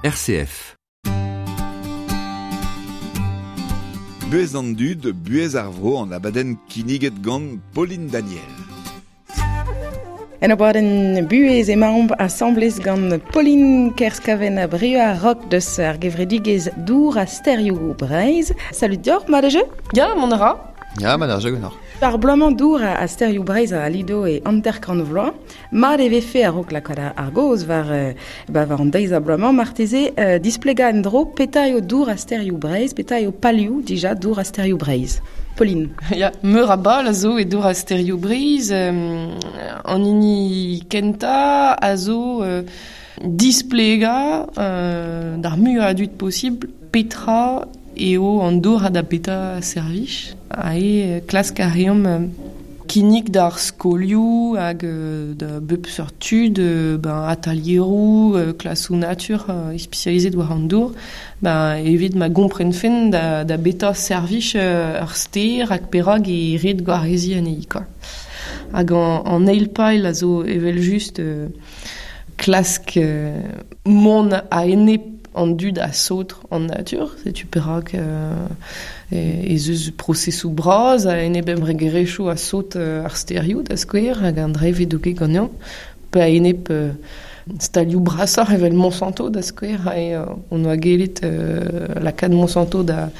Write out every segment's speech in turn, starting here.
RCF. Buhez an dud, buhez ar vro an abadenn kinniget gant Pauline Daniel. En abadenn buhez emaomp asambles gant Pauline Kerskaven a Brieux ar Rock deus ar gevredigezh Dour ha Sterioù Breizh. Salut deoc'h, mat eo? Ya, mont a ra. Ya, mat ar jeu ganeoc'h. Ar bloaz-mañ Dour ha Sterioù Breizh a lido e 50 vloaz. Mat e vefe a-raok lakaat ar gaoz war, ba, war an deiz a bloaz-mañ marteze displegañ en-dro petra eo Dour ha Sterioù Breizh, petra eo palioù dija Dour ha Sterioù Breizh. Pauline. Ya, meur a bal a zo e Dour ha Sterioù Breizh. An hini kentañ a zo displegañ d'ar muiañ a dud posibl petra eo an dour ha da petra servij. Ha eo klask a reomp kinnig d'ar skolioù hag da bep seurt tud, ben atalieroù, klasoù natur ispisializet war an dour, ben evit ma gomprenfent da betra servij ur stêr hag perak e ret gwareziñ anezhi kwa. Hag an eil pael a zo evel-just klask mont a-enep an dud a saotr an natur. Setu perak ez eus prosesoù bras a-enep embregerezhioù a saotr ar stêrioù, da skouer, hag an dra e vez douget ganeomp, pe a-enep stalioù brasoc'h evel Monsanto, da skouer, hon oa gellet lakaat Monsanto da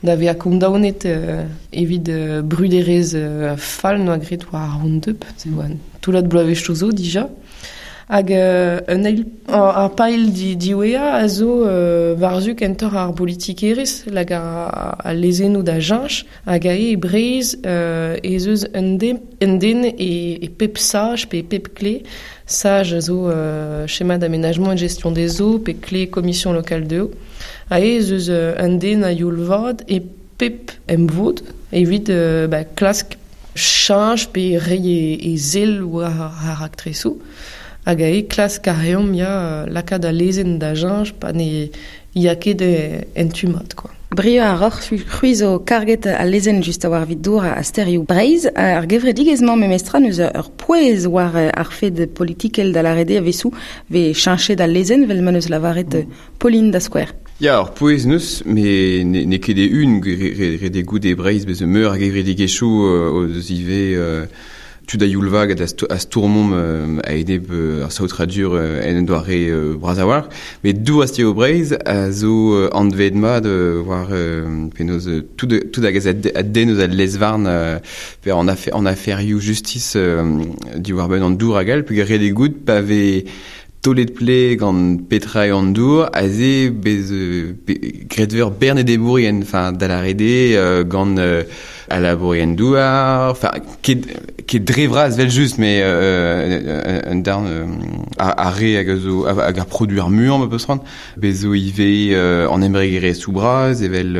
da vezañ kondaonet evit bruderezh fall 'noa graet war ar Roundup. Se oa un toullad bloavezhioù zo dija. Hag un eil ar pael diwezhañ a zo war-zu kentoc'h ar bolitikerezh lak al lezennoù da cheñch hag aze e Breizh ez eus un den, un den e pep saj pe e pep kle. Saj a zo schéma d'aménagement et de gestion des eaux pe kle commission locale de eau. Aze ez eus un den a-youl vat e pep emvod evit ba, klask cheñch pe reiñ e sell war ar raktresoù. Hag aze klask a reomp ya lakaat al lezenn da cheñch pa ne ya ket en tu mat quoi. Brieux ar Roc'h, c'hwi zo karget al lezenn just a-walc'h evit dour ha stêrioù Breizh. Ar gevredigezh-mañ memestra n'eus ur pouez war ar fed politikel da lâret eo a-wezhioù 'vez cheñchet al lezenn 'vel ma 'neus lavaret Pauline da skouer. Ya, ur pouez n'eus, met n'eo ket e-un ret eo goût e Breizh bez meur a gevredigezhioù o deus ivez tud a-youl vat a stourmomp a-enep ar saotradur en un doare bras a-walc'h. Met dour a Breizh a zo anvet mat war penaos tout, tout hag a denn eus al lez-varn pe an, an aferioù justis diwar-benn an dour hag all, peogwir ret eo goût pa vez taolet ple gant petra eo an dour, aze bez graet veur bern enebourien, enfin da lâret eo gant al labourien douar, enfin ket, ket dre vras evel-just, mais un darn ar re hag a zo hag ar produer muiañ ma peus c'hoant. Bez zo ivez an embregerezhioù bras evel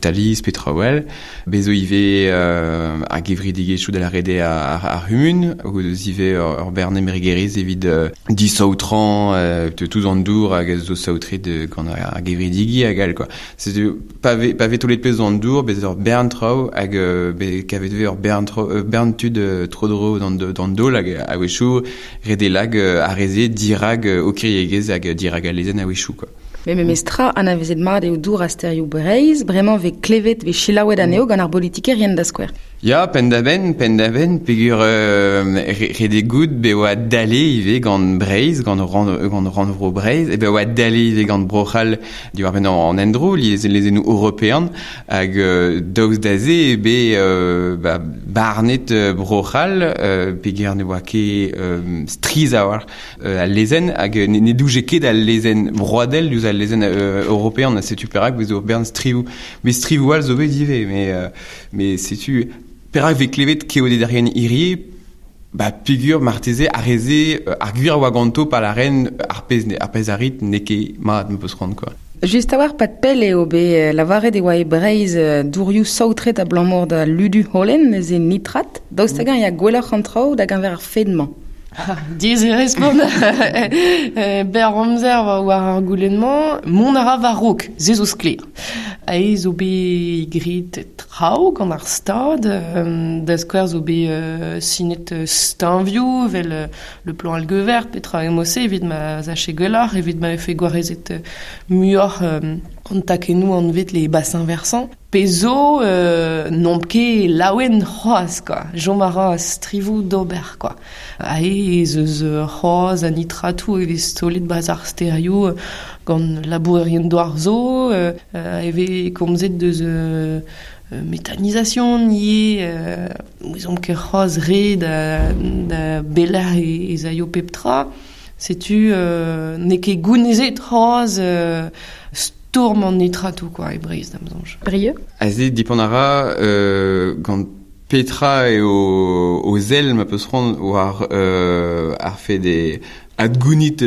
Thalys pe traoù all. Bez zo ivez ar gevredigezhioù da lâret eo ar c'humun, o deus ivez ur bern embregerezh evit disaotrañ tout an dour hag a zo saotret gant ar gevredigi hag all quoi. Setu pa vez pa vez taolet pezh an dour, bez ur bern traoù hag bet kavet vez ur bern traoù bern tud tro-dro d'an daol hag a-wechoù ret eo lag ar re-se dirak o kiriegezh hag dirak al lezenn a-wechoù quoi. Met memestra anavezet mat eo dour ha stêrioù Breizh, bremañ 'vez klevet, 'vez selaouet anezho gant ar bolitikerien da skouer. Ya, penn-da-benn, penn-da-benn, peogwir ret eo goût bet oa dale ivez gant Breizh, gant gant rannvro Breizh, e bet oa dale ivez gant Bro-C'hall diwar-benn an endro, lezennoù european, hag daoust da se eo bet ba, barnet Bro-C'hall, peogwir ne oa ket strizh a-walc'h al lezenn, hag ne douje ket al lezenn broadel diouzh al lezenn european, setu perak 'vez ur bern strivoù. Met strivoù all zo bet ivez, mais Mais setu perak 'vez klevet keodederien hirie ba peogwir marteze ar re-se ar gwir a oa ganto pa lâren ar pezh ar pezh a rit n'eo ket mat 'm peus c'hoant quoi. Just a-walc'h 'pad pell eo bet lavaret e oa e Breizh dourioù saotret abalamour da ludu holen, neuze nitrat. Daoust hag-eñ ya gwelloc'h an traoù da geñver ar fed-mañ? Diez e respont ber amzer war ar goulenn-mañ, mont a ra war-raok, se zo sklaer. Ae zo bet graet traoù gant ar Stad, da skouer zo bet sinet steuñvioù evel le plan algue vert, petra eo-se evit ma zache gwelloc'h, evit ma vefe gwarezet muioc'h an takennoù anvet les bassins versants. Pe zo n'omp ket laouen c'hoazh, quoi. Chom a ra strivoù d'ober, quoi. Ae ez eus c'hoazh a nitratoù e vez taolet 'barzh ar stêrioù gant labourerien douar zo, e vez komzet deus méthanisation ivez, ouezomp ket c'hoazh re da belec'h ez aio pep tra. Setu n'eo ket gounezet c'hoazh stourm an nitratoù quoi, e Breizh da'm soñj. Brieuc? Aze dipant a ra gant petra eo o sell ma peus c'hoant war ar fed e adgounit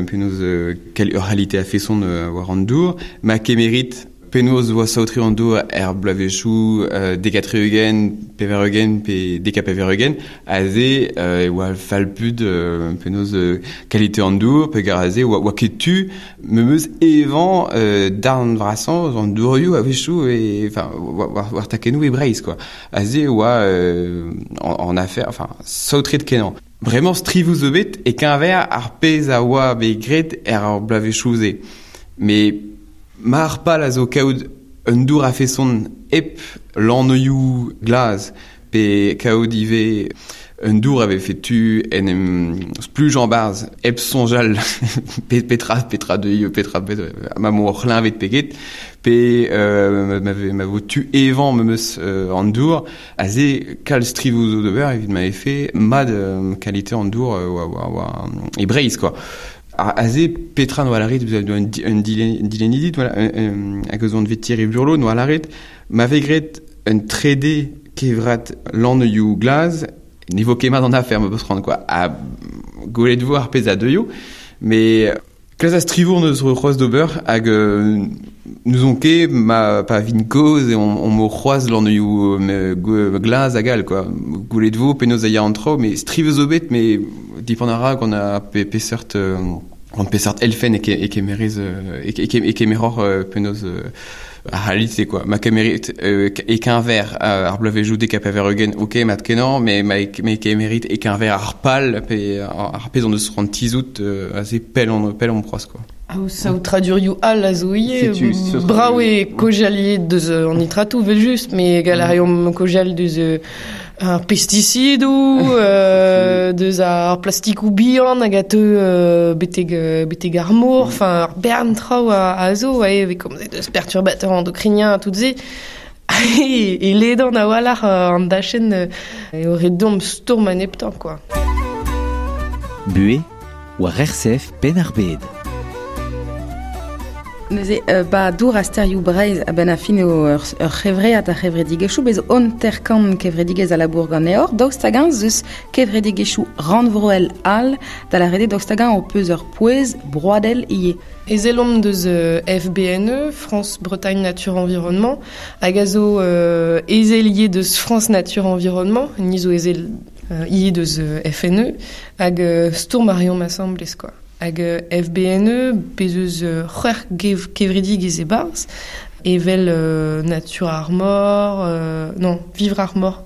penaos ur c'halite a-feson war an dour, ma kemerit penaos oa saotre an dour er bloavezhioù 90 80 pe 90 aze e oa fall-put penaos kalite an dour peogwir aze oa ket tu memes evañ darn vrasañ an dourioù a-wechoù e enfin war takennoù e Breizh quoi. Aze e oa an afer enfin saotret kenañ. Bremañ strivoù zo bet e-keñver ar pezh a oa bet graet er bloavezhioù-se. Met mar pal a zo kaout un dour a-feson hep lannoioù glas pe kaout ivez un dour a vefe tu en em splujañ 'barzh hep soñjal petra petra deuio petra ma vo ur c'hleñved pe get pe ma vo tu evañ memes an dour aze kalz strivoù zo d'ober evit ma vefe mat kalite an dour war e Breizh quoi. Aze petra noa lâret un dilennidi hag eus anvet Thierry Burlot noa lâret ma vez graet un trede kevrat lannoioù glas ne vo ket mat an afer ma peus c'hoant quoi. Ha gwelet vo ar pezh a deuio mais kalz a strivour neus c'hoazh d'ober hag n'ouzon ket ma pa vin kozh e on mo c'hoazh lannoioù glas hag all quoi. Gwelet vo penaos a ya an traoù mais striv zo bet mais dipant a ra gant ar peseurt gant peseurt elfenn e kemerez e kemeroc'h penaos ar c'halite quoi. Ma kemerit e-keñver ar bloavezhioù 90 ok mat kenañ mais ma kemerit e-keñver ar pal pe ar pezh on eus c'hoant tizhout aze pell on c'hoazh quoi. Saotradurioù all a zo ivez. Brav eo kaozeal deus an nitratoù evel-just, mais gall a reomp kaozeal deus ar pestisidoù, deus ar plastikoù bihan hag a teu betek ar mor, enfin ar bern traoù a zo, e vez komzet deus perturbateurs endocriniens ha tout se. E ledan a-walc'h an dachenn eo ret deomp stourm a-neptañ quoi. Buhez war RCF Penn-ar-Bed. Neuze, ba dour a stêrioù Breizh a-benn ar fin eo ur c'hevread ar c'hevredigezhioù bez hanter-kant kevredigezh a labour ganeoc'h. Daoust hag-eñ ez eus kevredigezhioù rannvroel all da lâret eo daoust hag-eñ ho peus ur pouez broadel ivez. Ezel omp deus FBNE, France Bretagne Nature Environnement, hag a zo ezel ivez deus France Nature Environnement, ni zo ezel ivez deus FNE, hag stourm a reomp asambles quoi. Hag FBNE, bez eus c'hwec'h kevredigezh e-barzh, evel Nature Armor, non, Vivre Armor,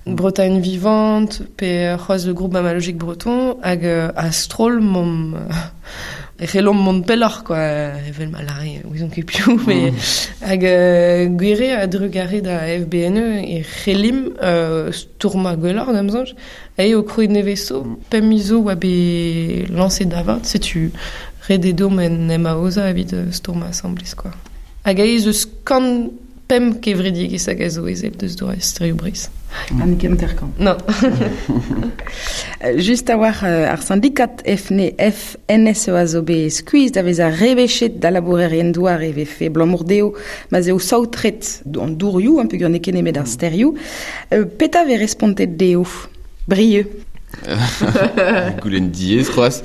Bretagne Vivante, pe c'hoazh le groupe mammalogique breton, hag a-stroll momp e c'hellomp mont pelloc'h quoi, evel ma lâre ouezon ket piv, mais hag gwir eo a-drugarez da FBNE e c'hellimp stourmañ gwelloc'h da'm soñj. Eo krouet nevez zo, pemp miz zo oa bet lañset da vat, setu ret eo deomp en em aozañ evit stourmañ asambles quoi. Hag aes eus 105 kevredigezh hag a zo ezel deus doare stêrioù Breizh. Ha n'eo ket hanter-kant. Non. Just a-walc'h ar syndikat FNSE a zo bet skuizh da vezañ rebechet da labourerien-douar e vefe abalamour dezho ma'z eo saotret an dourioù, peogwir n'eo ket nemet ar stêrioù. Petra vez respontet dezho? Brieuc. Goulenn diaes c'hoazh.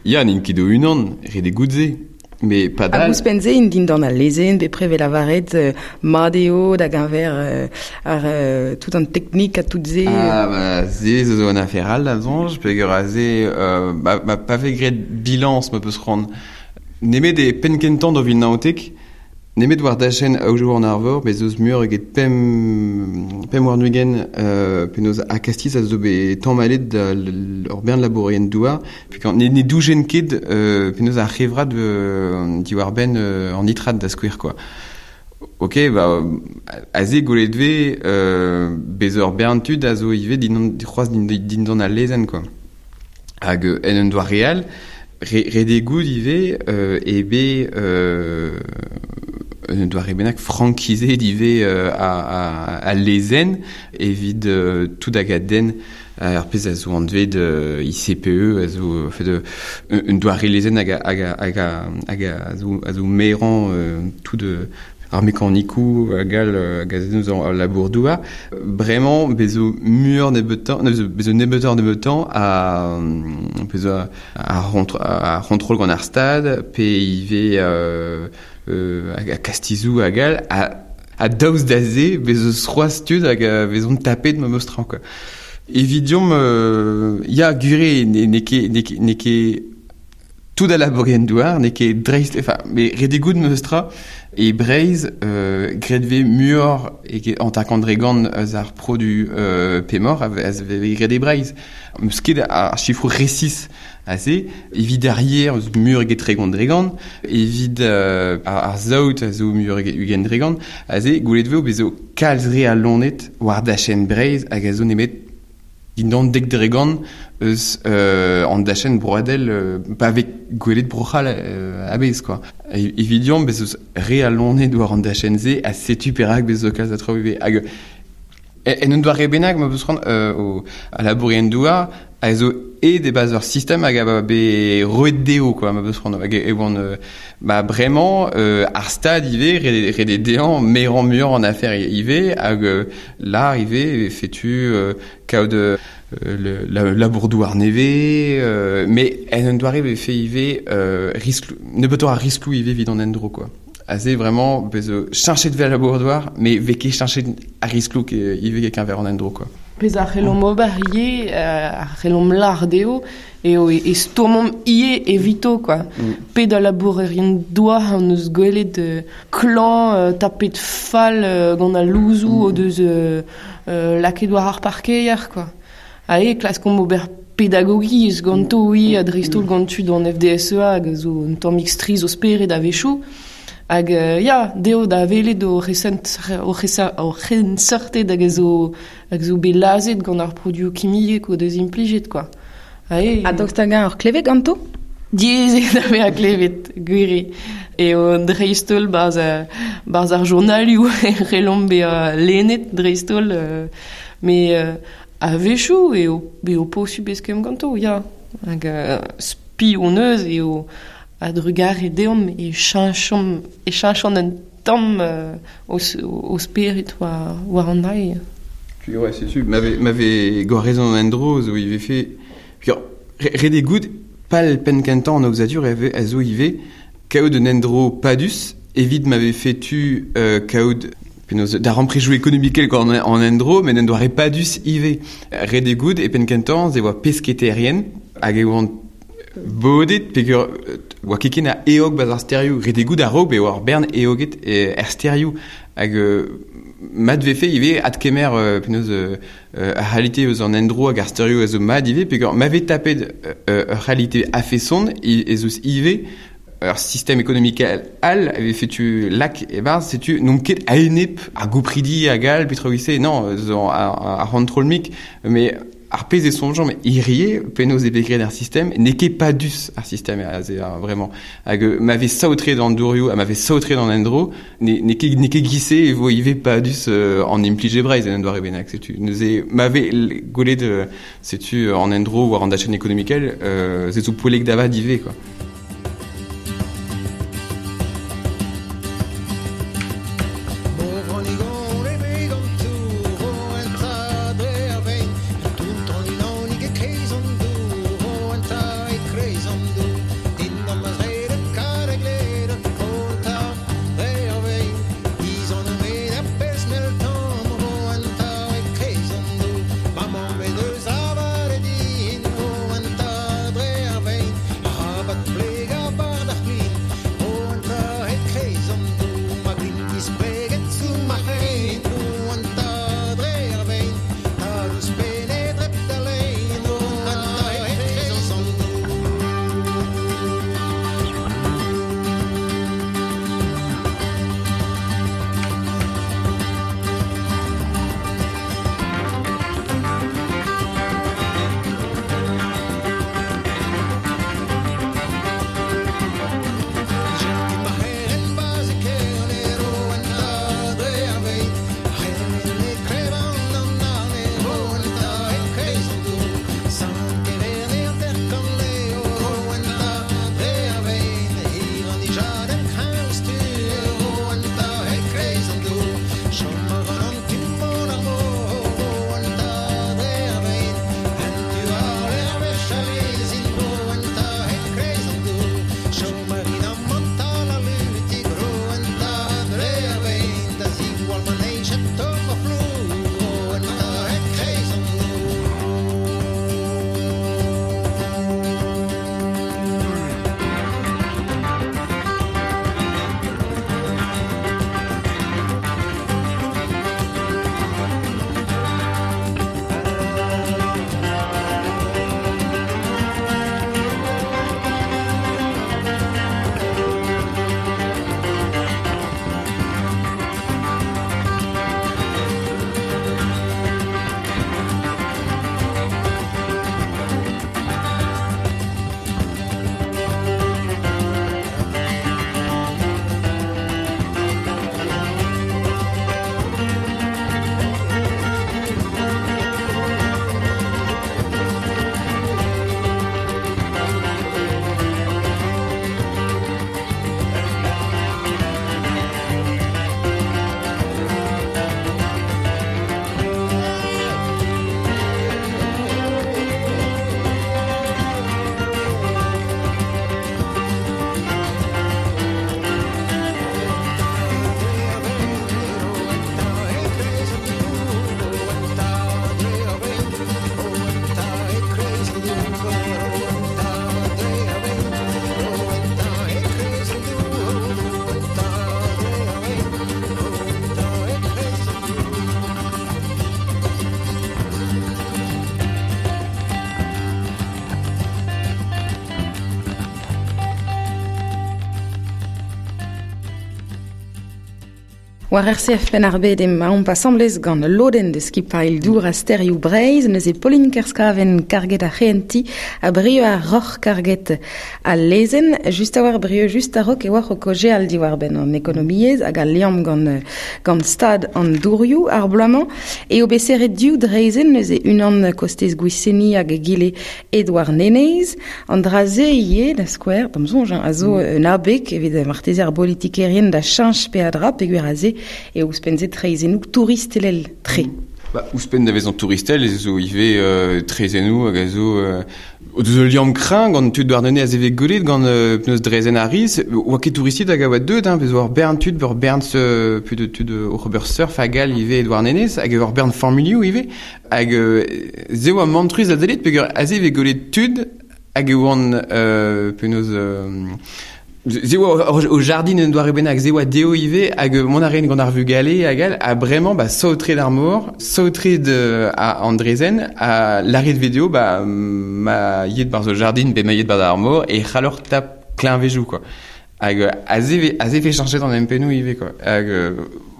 Ya, n'int ket o-unan, ret eo goût se. Me padal... Hag ouzhpenn-se int dindan al lezenn, bepred 'vez lavaret mat eo da geñver ar tout an teknik ha tout se. Ah ba se zo un afer all da soñj, peogwir aze ma pa vez graet bilañs ma peus c'hoant. Nemet e penn kentañ 2019, nemet war dachenn Aodoù an Arvor, bez eus muioc'h eget pemp warn-ugent penaos ha kastiz a zo bet tamallet da ur bern labourerien douar. Peogwir ne dougen ket penaos ar c'hevrad diwar-benn an nitrat da skouer quoi. Ok, ba, aze gwelet 'vez bez ur bern tud a zo ivez dindan, c'hoazh dindan al lezenn quoi. Hag en un doare all, ret eo goût ivez eo bet un doare bennak frankizet ivez al lezenn evit tout hag a denn ar pezh a zo anvet ICPE a zo fait un doare lezenn hag a zo merañ tout ar mekanikoù hag all hag a zen al labour-douar. Bremañ bezo muioc'h nebeutañ, bezo nebeutoc'h nebeutañ a bezo ar c'hontrol gant ar stad pe ivez a kastizoù hag all ha daoust da se bezo c'hoazh tud hag vezont tapet memes tra quoi. Evit deomp ya gwir eo n'eo ket tout a labourerien douar n'eo ket dreist enfin mais ret eo goût memes tra e Breizh graet 'vez muioc'h eget 50% eus ar produ pemoc'h a vez graet e Breizh. N'eus ket ar sifroù resis aze evit ar yer eus muioc'h eget 30% evit ar saout a zo muioc'h eget 20% aze gwelet 'vez bezo kalz re a loened war dachenn Breizh hag a zo nemet dindan 10% eus an dachenn broadel pa vez gwelet Bro-C'hall a-bezh quoi. Evit deomp bez eus re a loened war an dachenn-se ha setu perak bez zo kalz a traoù ivez. Hag en un doare bennak ma peus c'hoant al labourerien douar a zo aet e-barzh ur sistem hag a bet roet dezho quoi ma peus c'hoant. Hag e oant ba bremañ ar stad ivez ret eo dezhañ merañ muioc'h an afer ivez hag là ivez setu kaout labour-douar nevez mais en un doare vefe ivez riskloù nebeutoc'h a riskloù ivez evit an endro quoi. Aze vraiment bez cheñchet 'vez al labour-douar mais 'vez ket cheñchet ar riskloù ivez e-keñver an endro quoi. Pezh a c'hellomp ober ivez, a c'hellomp lâr dezho eo e stourmomp ivez evito quoi. Pe da labourerien douar hon eus gwelet klañv tapet fall gant al louzoù o deus lakaet war ar parkeier quoi. Ha eo klaskomp ober pedagogiezh ganto ivez ha dreist-holl gant tud an FDSEA hag a zo un tammig strizh o spered a-wechoù. Hag ya, dezho da welet o c'henseurted hag a zo bet lazhet gant ar produoù kimiek o deus implijet quoi. Ha daoust hag-eñ oc'h klevet ganto? Diaes eo da vezañ klevet, gwir eo. Eo dreist-holl barzh ar journalioù e c'hellomp bezañ lennet dreist-holl. Mais a-wechoù eo posubl eskemm ganto, ya. Hag spi hon eus eo a-drugarez deomp e cheñchont un tamm o spered war an ail. Ouais, c'est sûr. M'avait gwarezon an endro zo ivez fait... Ret eo goût pal penn kentañ an aozadur a zo ivez kaout un endro padus evit m'avait fait tu kaout penaos da remprejoù ekonomikel gant an endro met un doare padus ivez. Ret eo goût e penn kentañ ze oa pesketerien hag e oant bodet peogwir oa ket ken a eog barzh ar stêrioù. Ret eo goût a-raok bet oa ur bern eoget er stêrioù hag mat vefe ivez adkemer penaos ar c'halite eus an endro hag ar stêrioù a zo mat ivez peogwir ma vez tapet ur c'halite a-feson ez eus ivez ur sistem ekonomikel all a vefe tu lak e-barzh setu n'omp ket a-enep ar gopridi hag all petra se non zo ar c'hontrol-mik mais ar pezh e soñjomp hirie penaos eo bet graet ar sistem n'eo ket padus ar sistem aze vraiment hag ma vez saotret an dourioù ha ma vez saotret an endro n'eo ket gise e vo ivez padus an implij e Breizh en un doare bennak setu neuze ma vez gwelet setu an endro war an dachenn ekonomikel se zo poellek da vat ivez quoi. War RCF Penn-ar-Bed emaomp asambles gant lodenn deus skipailh dour ha stêrioù Breizh, neuze Pauline Kerskaven karget ar c'hehentiñ ha Brieux ar Roc'h karget al lezenn. Just a-walc'h Brieux, just a-raok e oac'h o kaozeal diwar-benn an ekonomiezh hag al liamm gant, gant stad an dourioù ar bloaz-mañ. Eo bet serret div draezhenn, neuze unan kostez Gwiseni hag egile e Douarnenez. An dra-se ivez, da skouer, d'am soñj, a zo un abeg evit marteze ar bolitikerien da cheñch peadra peogwir aze eo ouzhpenn-se traezhennoù touristelel tre. Ba, ouzhpenn da vezañ touristel ez zo ivez traezhennoù hag a zo o deus ul liamm kreñv gant tud Douarnenez a vez gwelet gant penaos draezhenn ar Riz. Oa ket touristed hag a oa deuet, hein, bez' oa ur bern tud, ur bern tud, tud oc'h ober surf hag all ivez e Douarnenez, hag ur bern familhoù ivez. Hag se oa mantrus da sellet peogwir aze e vez gwelet tud hag e oant penaos se oa o jardin un doare bennak, se oa dezho ivez, hag mont a raent gant ar vugale hag all, ha bremañ ba saotret ar mor, saotret an draezhenn, ha lâret vez dezho ba ma yet barzh o jardin pe ma yet barzh ar mor e c'halloc'h tap kleñvejoù quoi. Hag aze aze vez cheñchet an empennoù ivez quoi. Hag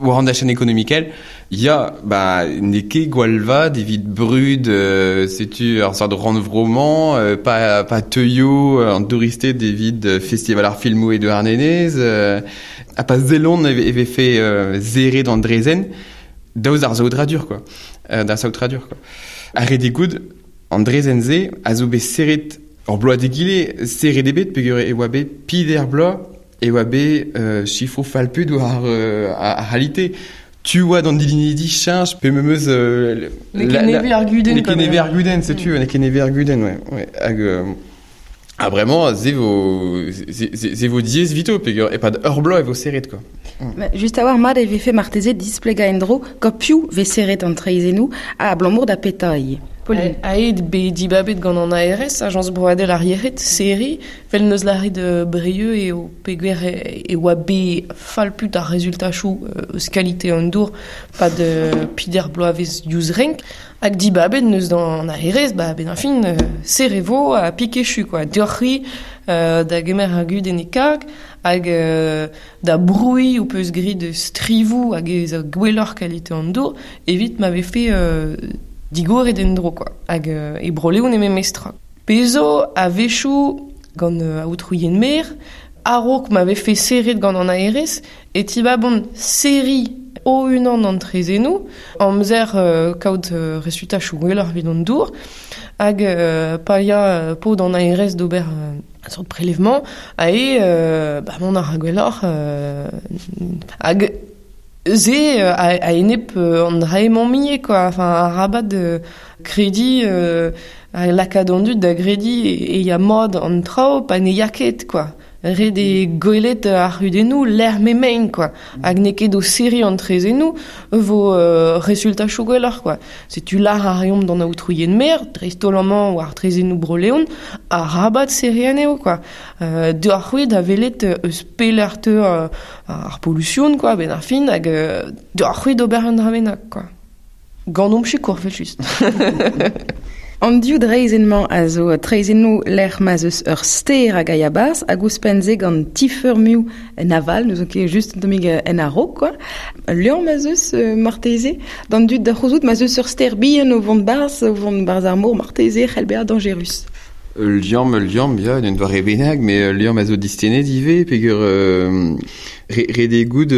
war an dachenn ekonomikel, ya, ba n'eo ket gwall vat evit brud setu ar seurt rannvro-mañ, pa, pa teuio an douristed evit festival ar filmoù e Douarnenez, ha pa sellont e vefe serret an draezhenn, daoust d'ar saotradur quoi, d'ar saotradur quoi. Ar re goût, an draezhenn-se a zo bet serret ur bloaz d'egile, serret eo bet peogwir e oa bet peder bloaz e oa bet sifroù fall-put war ar c'halite. Tu oa d'an dilinidi cheñch pe memes... N'eo ket nevez ar gudenn. N'eo ket nevez ar gudenn, setu, n'eo ket nevez ar gudenn, ouais. ouais. Hag, ha bremañ, se vo, se vo diaes evito, peogwir e-pad ur bloaz e vo serret, quoi. Just a-walc'h mat e vefe marteze displegañ en-dro gant piv vez serret an traezhennoù ha abalamour da petra ivez. Pauline. Aet bet dibabet gant an ARS, Ajañs Broadel ar Yec'hed, serriñ, vel neus lâret Brieux eo peogwir e oa bet fall-put ar rezultachoù eus kalite an dour pad peder bloavezh diouzh renk. Hag dibabet neus d'an ARS, ba benn ar fin, serret vo ha pik echu, quoi. Deoc'h-c'hwi da gemer ar gudenn e karg hag da brouiñ ho peus graet strivoù hag ez a gwelloc'h kalite an dour evit ma vefe digoret en-dro, quoi. Hag e Bro-Leon eo memes tra. Pezh zo a-wechoù gant aotroù Mer, a-raok ma vefe serret gant an ARS, e tibabont serriñ o-unan an traezhennoù, amzer kaout resultachoù gwelloc'h evit an dour, hag pa ya paotr an ARS d'ober un sort prélèvement, ae ba mont a ra gwelloc'h hag se a-enep an dra-emañ quoi. Enfin, arabat krediñ lakaat an dud da grediñ e ya mat an traoù pa ne ya ket, quoi. Ret eo gwelet ar c'hudennoù lec'h m'emaint, quoi. Hag n'eo ket o serriñ an traezhennoù vo resultachoù gwelloc'h, quoi. Setu lâr a reomp d'an aotroù Mer, dreist-holl amañ war traezhennoù Bro-Leon, arabat serriñ anezho, quoi. Deoc'h-c'hwi da welet eus pelec'h teu ar polusion, quoi, benn ar fin, hag deoc'h-c'hwi d'ober un dra bennak, quoi. Ganeomp sikour, evel-just. An div draezhenn-mañ a zo traezhennoù lec'h ma'z eus ur stêr hag a ya barzh hag ouzhpenn-se gant ti-feurmioù en aval, n'eus ket just un tammig en a-raok, quoi. Ul liamm ma'z eus marteze d'an dud da c'houzout ma'z eus ur stêr bihan o vont barzh, o vont barzh ar mor marteze c'hell bezañ dañjerus. Ul liamm, ya, d'un doare bennak, mais ul liamm a zo distennet ivez, peogwir ret eo goût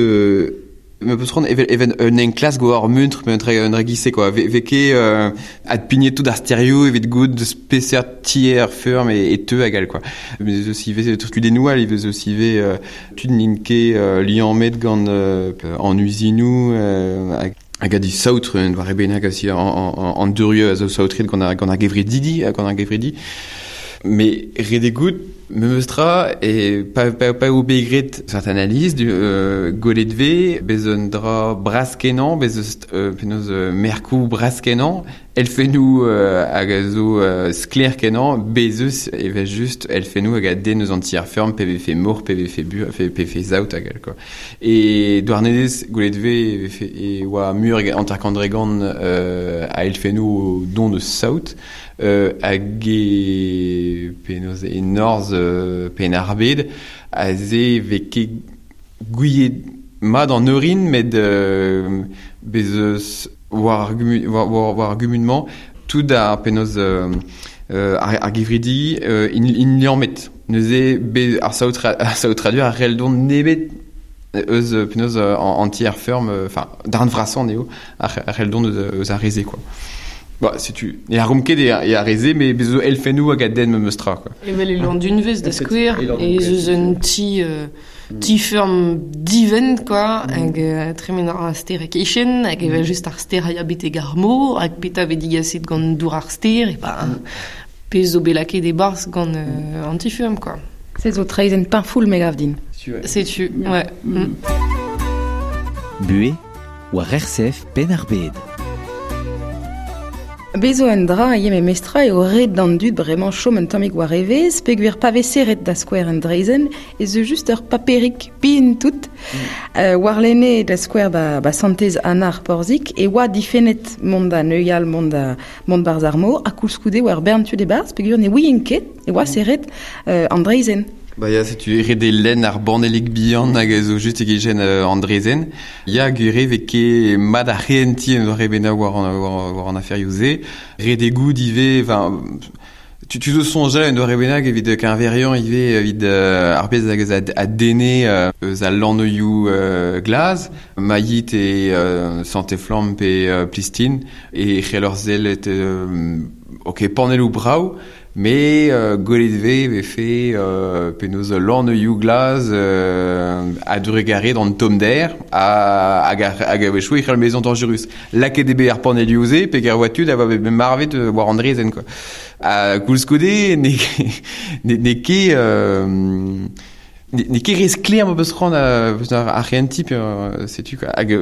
me peus c'hoant evel evel un enklask war muntr pe un dra giz-se quoi. Ve ket adpignet tout ar sterioù evit goût peseurt tier feurm e teu hag all quoi. Mais eus ivez kudennoù all, ivez eus ivez tud n'int ket liammet gant an uzinoù hag a di saotr un doare bennak aussi an durieux a zo saotret gant ar gevredidi gant ar gevredi. Mais ret eo goût memes tra e pa eo bet graet seurt analyse du gwelet vez bez un dra bras-kenañ, bez eus penaos merkoù bras-kenañ, elfennoù hag a zo sklaer-kenañ, bez eus evel just elfennoù hag a denn eus an tier-feurm pe vefe mor, pe vefe bur, pe vefe saout hag all, quoi. E Douarnenez gwelet vez e oa mur hanter-kant a elfennoù don eus saout, hag e penaos e norzh Penn-ar-Bed, aze vez ket gouiet Mat an eurin, met bez eus war ar gumun, war ar gumun-mañ, tout ar penaos ar gevridi in liammet. Neuze be ar saotradur ar reldon nebet eus penaos an ti ar ferm, enfin, darn vrasañ eo, ar reldon eus ar reze, quoi. Ba, setu, ne ar ket e ar reze, mais bezo elfennoù hag a den memes tra, quoi. Evel e Landunvez da skouer, ez eus un ti ferm divent, quoi, hag tremen ar ster e kichen, hag evel just ar ster a ya betek ar mor, hag peta ve digaset gant dour ar ster, e ba, pezh zo bet lakaet e-barzh gant an ti-feurm, quoi. Se zo traezenn pinfoul me gav din. Setu, ouais. Buhez war RCF Penn-ar-Bed. Bezo un dra eo me mestra eo ret d'an dud bremañ chom un tammig war evezh, peogwir pa vez serret da skouer un draezenn, ez eus just ur paperig pin tout. Warlene da skouer ba Santez Anna ar Porzig e oa difennet mont da neuial, mont da mont barzh ar mor, ha koulskoude war bern tud e-barzh, peogwir ne ouient ket e oa serret an draezenn. Ba ya, setu ret eo lenn ar banellig bihan hag a zo just e-kichen an draezenn. Ya, gwir eo ket mat ar c'hehentiñ en doare bennak war an aferioù-se. Ret eo goût ivez, enfin, tu zo soñjal en doare bennak evit keñveriañ ivez evit ar pezh hag eus a denne eus al lannoioù glaz, Maillit e Santez-Flamm pe Plistin, e c'hell ur sellet ok, panelloù brav, mais gwelet vez vefe penaos lannoioù glaz a drugarez d'an tommder hag a-wechoù e c'hell bezañ dañjerus. Lakaet eo bet ar panelioù-se peger oa tud a oa bet marvet war an draezhenn, quoi. Ha koulskoude n'eo ket n'eo ket re sklaer ma peus c'hoant ar c'hehentiñ pe setu quoi. Hag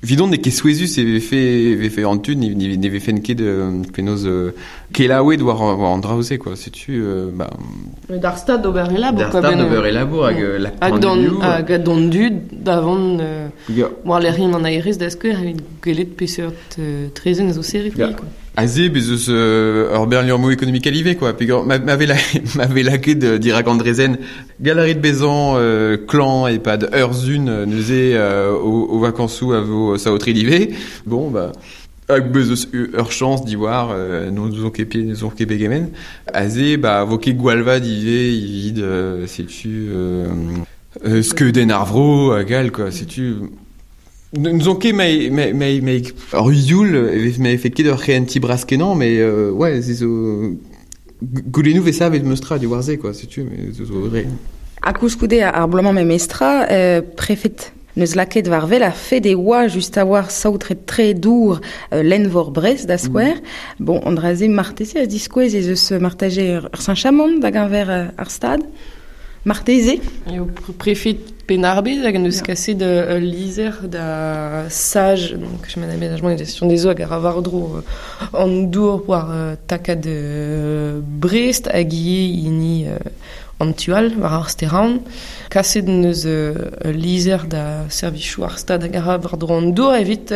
vidon n'eo ket souezhus e vefe an tud ne vefen ket penaos kelaouet war an draoù-se, quoi. Setu ba D'ar stad d'ober e labour, quoi. D'ar stad d'ober e labour hag lak panelioù. Hag d'an dud davant war lec'hienn an aerez da skouer evit gwelet peseurt traezenn zo serret, quoi. Aze, bez eus ur bern liammoù ekonomikel ivez, quoi. Peogwir ma vez lakaet dirak an draezenn galarit bezañ klañv e-pad ur sun neuze o vakañsoù a vo saotret ivez. Bon, bah, hag bez eus ur chañs diwar n'ouzon ket pe n'ouzon ket pegement. Aze, bah, vo ket gwallvad ivez evit setu skeudenn ar vro hag all, quoi. Setu N'ouzon ket ma ur youl e vefe ket ur c'hehentiñ bras-kenañ, mais ouais, se zo goulennoù vez savet meus tra diwar se, quoi, setu, mais zo re. Ha koulskoude ar bloaz-mañ memestra, prefed neus lakaet war wel ar fed e oa just a-walc'h saotret tre dour lenn-vor Brest da skouer. Bon, an dra-se marteze a diskouez ez eus marteze ur sañchamant da geñver ar stad. Marteze. Eo prefed Penn-ar-Bed hag en deus kaset ul lizher da SAGE, donc chemin d'aménagement et de gestion des eaux hag a ra war-dro an dour war takad Brest hag ivez hini an tu all war ar Steraon. Kaset en deus ul lizher da servijoù ar stad hag a ra war-dro an dour evit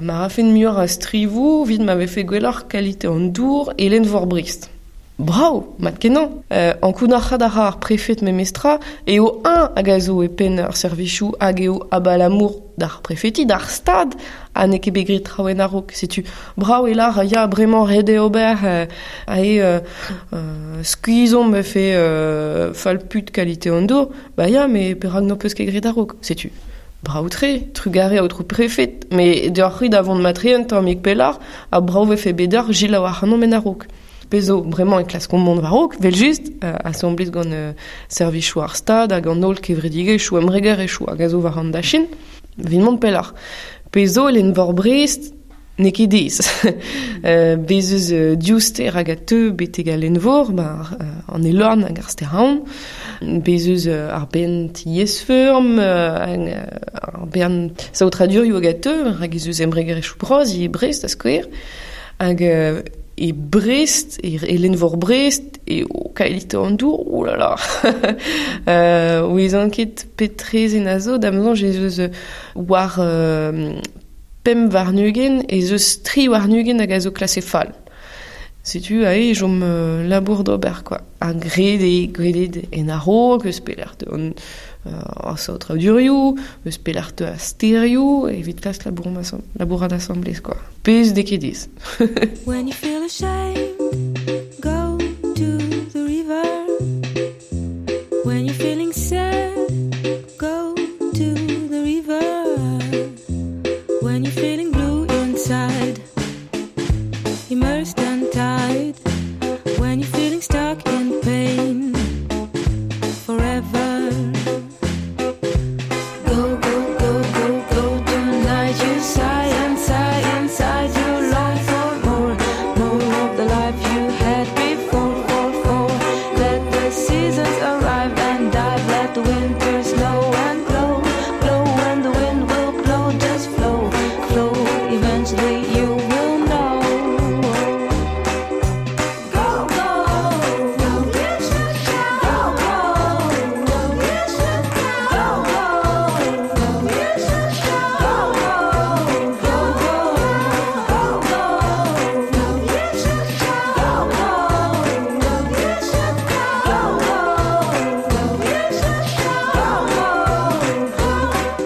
ma rafen muioc'h a strivoù evit ma vefe gwelloc'h kalite an dour e lenn-vor Brest. Brav, mat-kenañ. Ankounac'haat a ra ar prefed memestra eo eñ hag a zo e penn ar servijoù hag eo abalamour d'ar prefeti, d'ar stad, ha n'eo ket bet graet traoù en a-raok. Setu brav e lar, ya, bremañ ret eo ober ae skuizhomp vefe fall-put kalite an dour. Ba ya, mais perak n'ho peus ket graet a-raok. Setu brav-tre, trugarez aotrou prefed, mais deoc'h-c'hwi da vont matre un tammig pelloc'h, ha brav vefe bet deoc'h selaou ac'hanomp en a-raok. Pezo, bremañ e klaskomp mont war-raok, vel-just, asambles gant servijoù ar stad hag an holl kevredigezhioù embregerezhioù hag a zo war an dachenn, evit mont pelloc'h. Pezo, lenn-vor Brest, n'eo ket aes. Bez eus div stêr hag a teu betek al lenn-vor, an Elorn hag ar Stêr-Aon. Bez eus ar bern tiez-feurm, ar bern saotradurioù hag a teu, hag ez eus embregerezhioù bras ivez Brest, da skouer. Hag e Brest, e lenn-vor Brest, eo kalite an dour, oh là là. Ouezan ket pet traezenn a zo, da'm soñj ez eus war 25 ez eus 23 hag a zo klase fall. Setu ae jom labour d'ober, quoi. A grede, gredet en a-raok, eus pelec'h an saotra durioù, eus pelec'h a sterioù, evit klask labourat asamblez, quoi. Pez dekedez. When you feel ashamed, go to the river. When you're feeling sad, go to the river. When you're feeling blue inside, immersed and tied. When you're feeling stuck in pain forever. Go, go, go, go, go tonight. You sigh and sigh inside. You long for more, more of the life you had before, for. Let the seasons arrive and dive. Let the winter snow and blow, blow. When the wind will blow, just flow, flow. Eventually you will know. Go, go, go, go, go, go,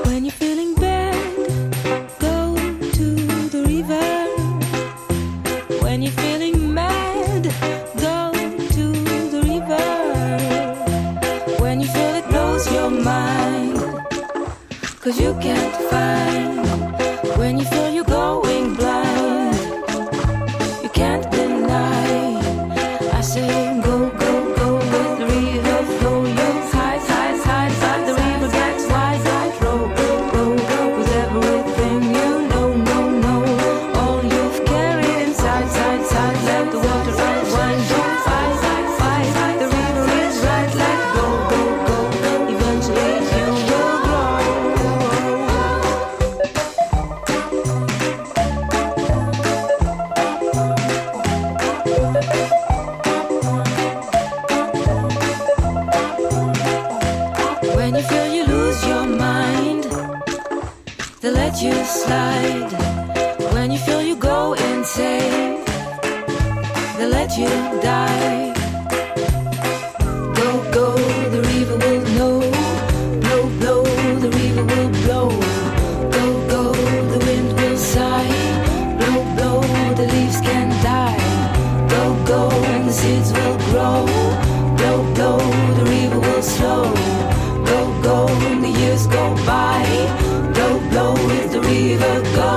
When you're feeling bad, go to the river. When you're feeling mad, go to the river. When you feel it blows your mind, 'cause you can't find. When you feel you're going blind, you can't deny. I say go, go, go with the river flow. You hide, hide, hide, hide. The river gets wide. Row, row, row with everything you know, know, know. All you've carried inside, side, side. Let the water unwind. Don't fight, fight, fight. The river is right. Let go, go, go. Eventually you will grow. When you feel you lose your mind, they let you slide. When you feel you go insane, they let you die. Go, go, the river will know. Blow, blow, the river will blow. Go, go, the wind will sigh. Blow, blow, the leaves can die. Go, go, and the seeds will grow. Blow, blow, the river will slow. Go, go, and the years go by. Blow, blow, with the river go.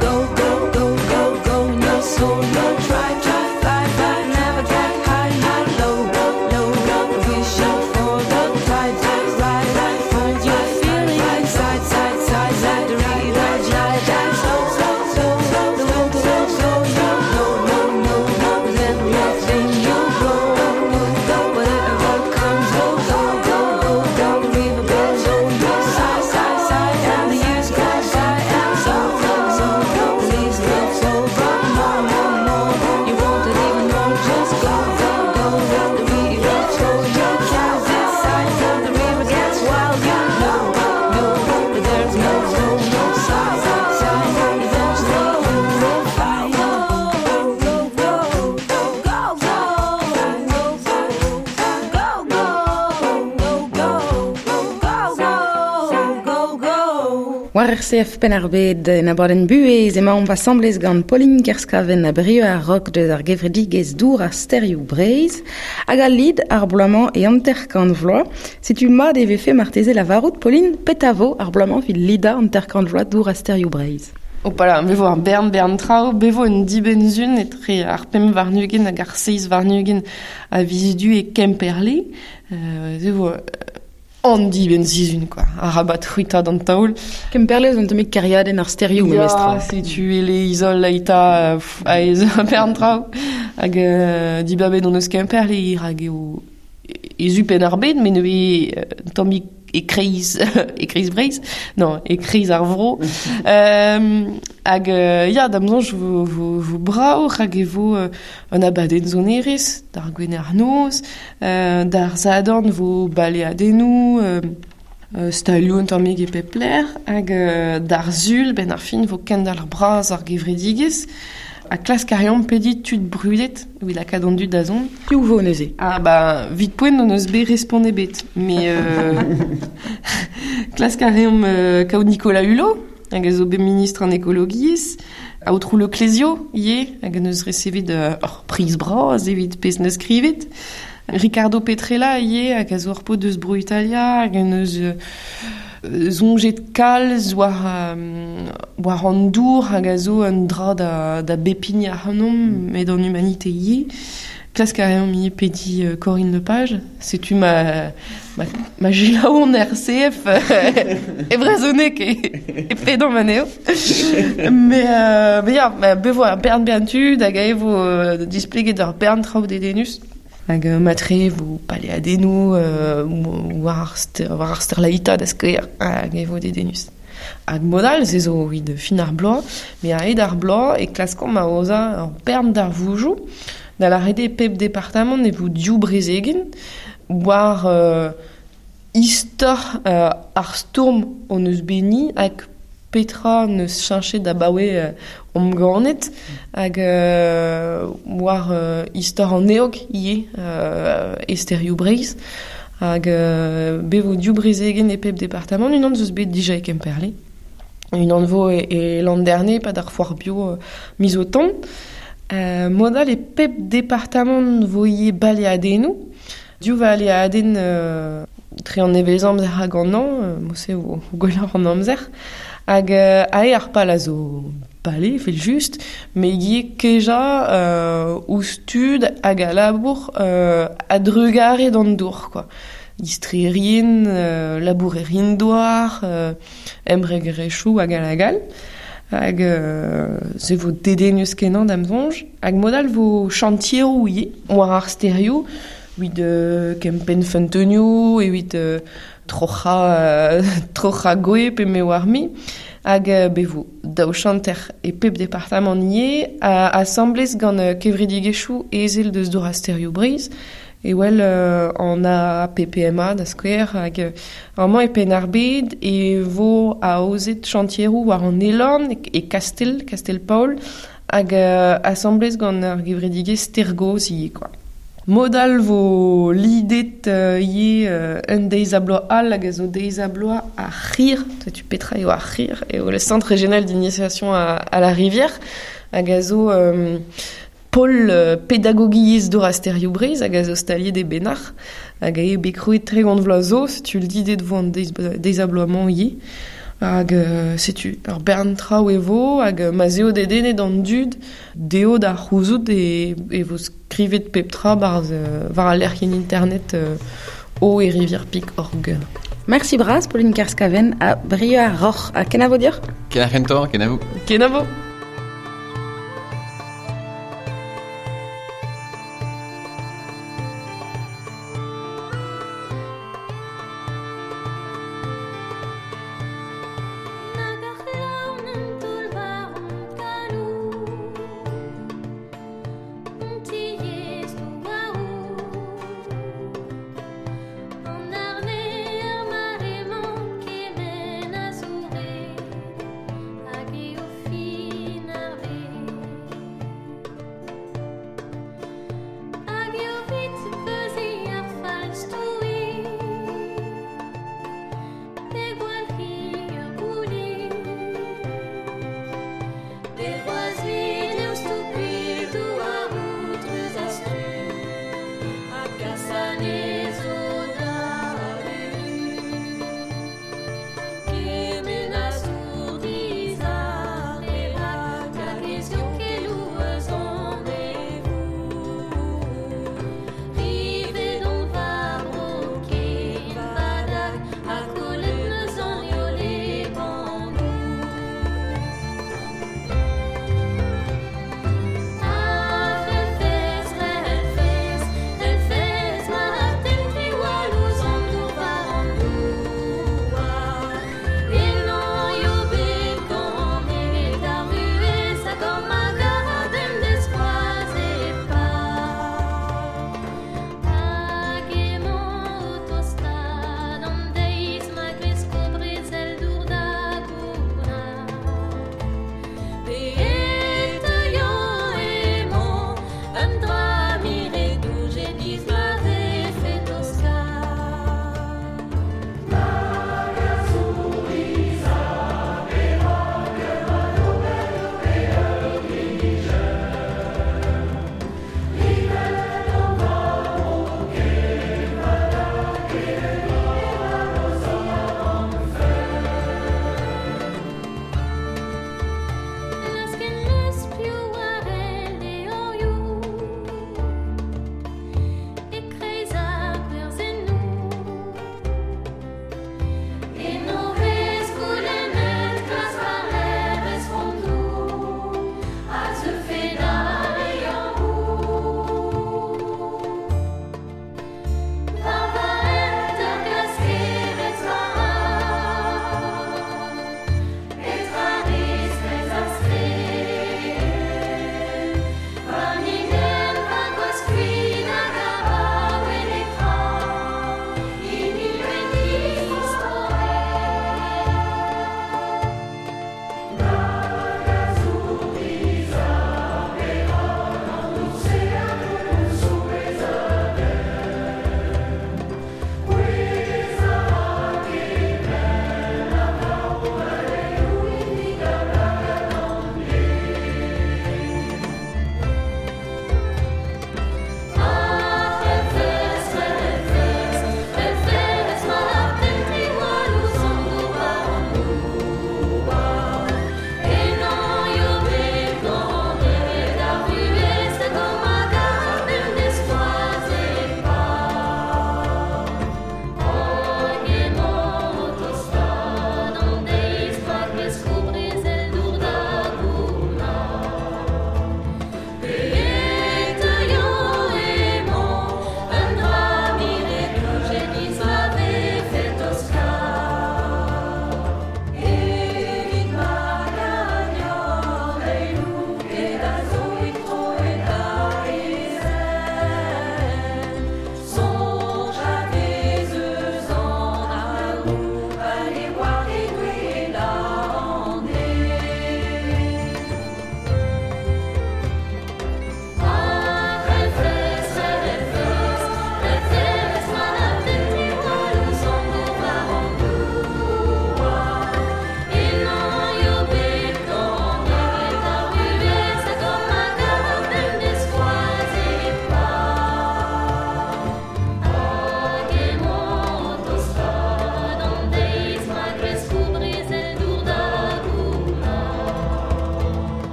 Go, go, go, go, go. No soul, no try, try, fly, fly. Never get high, high, low, low, low, low. Wish out for the tide to rise. Hold your feeling inside, side, side. Let the river glide and slow, slow, slow, slow. The wind will slow, slow, no, no, no, no. With everything you grow. Go, whatever comes, go, go, go, go, go. The river goes, oh, no, side, side, side. And the years go by and so, so, so. The leaves will flow, but more, more, more. You want it even more. Just go, go, go. The river flows, you can't decide. The river gets wild, you know, know. But there's no, no, no side, side. Eventually you will find. Go, go, go, go, go, go, go, go, go, go, go, go. War RCF Penn-ar-Bed en abadenn buhez emaomp asamblez gant Pauline Kerskaven a brio ar rok deus ar gevredigez dour ar sterioù Breizh hag al lid ar bloaz-mañ e hanter-kant vloaz. Setu mat e vefe marteze lavarout Pauline petavo ar bloaz-mañ evit lida hanter-kant vloaz dour ar sterioù Breizh. Opala, bevo ar bern bern traoù, bevo un dibenzun etre ar pemp warn-ugent hag ar seiz warn-ugent a viz du e Kemperle. Bevo an dibenn-sizhun, quoi. Ar rabat c'hwita d'an taol. Kemperle zo un tammig kêriadenn ar sterioù memestra. Ya, setu ele izol laita aez bern traoù. Hag dibabet hon eus Kemperle hag eo ezu penn ar bed, met neuze un tammig e kreiz, e kreiz Breizh, non, e kreiz ar vro. Hag ya, da'm soñj vo brav, hag e vo un abadenn sonerezh, d'ar gwener noz, d'ar zadorn vo baleadennoù, stalioù un tammig e pep lec'h, hag d'ar sul, ben ar fin vo kendalc'h bras ar gevredigezh, a klask a reomp pedi tud brudet, evit lakaat an dud da zont. Piv vo neuze? Ah ba, vit poent on eus bet respont ebet, mais klask a reomp kaout Nicolas Hulot, hag a zo bet ministr an ekologiezh, aotrou Le Clésio, ivez, hag en eus resevet ur priz bras evit pezh neus skrivet. Ricardo Petrella ivez, hag a zo ur paotr deus Bro Italia, hag en eus soñjet kalz war war an dour hag a zo un dra da bepign ac'hanomp, met an humanite ivez. Klask a reomp ivez pedi Corinne Lepage, setu ma gelaon RCF e brezhoneg e pedan anezho. Mais ya, bevo ar bern bern tud hag a vo displeget ar bern traoù dedennus. Hag matre vo paleadennoù war ar sterlaita da skouer hag e vo dedennus. Hag modal, se zo evit fin ar bloaz, met a-hed ar bloaz e klaskomp aozañ ur bern darvoudoù. Da lâret eo pep departamant e vo div brezegenn war istor ar stourm hon eus bet ni hag petra neus cheñchet abaoe omp ganet hag war istor an eog ivez e sterioù Breizh hag bet vo div brezegenn e pep departamant, unan zo bet dija e Kemperle, unan vo e Landerne pad ar foar bio miz o tont. Modal e pep departamant vo ivez baleadennoù, div baleadenn tre an nevez amzer hag an hañv, mod-se vo gwelloc'h an amzer. Hag ae ar pal a zo bale, evel just, met ivez kejañ ouzh tud hag a labour a-drugarez d'an dour, quoi. Istrerien, labourerien douar, embregerezhioù hag all hag all. Hag se vo dedennus kenañ da'm soñj. Hag modal vo chantieroù ivez, war ar sterioù, evit kempenn feunteunioù, evit troc'hañ gwe pe me war mi. Hag bet vo daou chanter e pep departamant ivez, asambles gant kevredigezhioù ezel deus dour ar sterioù Breizh. E wel an APPMA da skouer hag amañ e Penn-ar-Bed e vo aozet chantieroù war an Elorn e Kastel, Kastel-Paol, hag asambles gant ar gevredigezh Stergoz ivez, quoi. Modal vo lidet ivez un deiz a bloaz all hag a zo deiz a bloaz ar c'hir, setu petra eo ar c'hir, eo le centre régional d'initiation à la rivière, hag a zo pol pedagogiezh dour ar sterioù Breizh hag a zo staliet e Benac'h hag a eo bet krouet 30 vloaz zo, setu lidet vo an deiz a bloaz-mañ ivez. Hag setu ur bern traoù e vo hag ma 'z eo dedennet an dud dezho da c'houzout e vo skrivet pep tra war al lec'hienn internet eau-et-rivière.org. Merci bras, Pauline Kerskaven ha Brieuc ar Roc'h. Ha kenavo deoc'h? Kenavo, kenavo. Kenavo. Big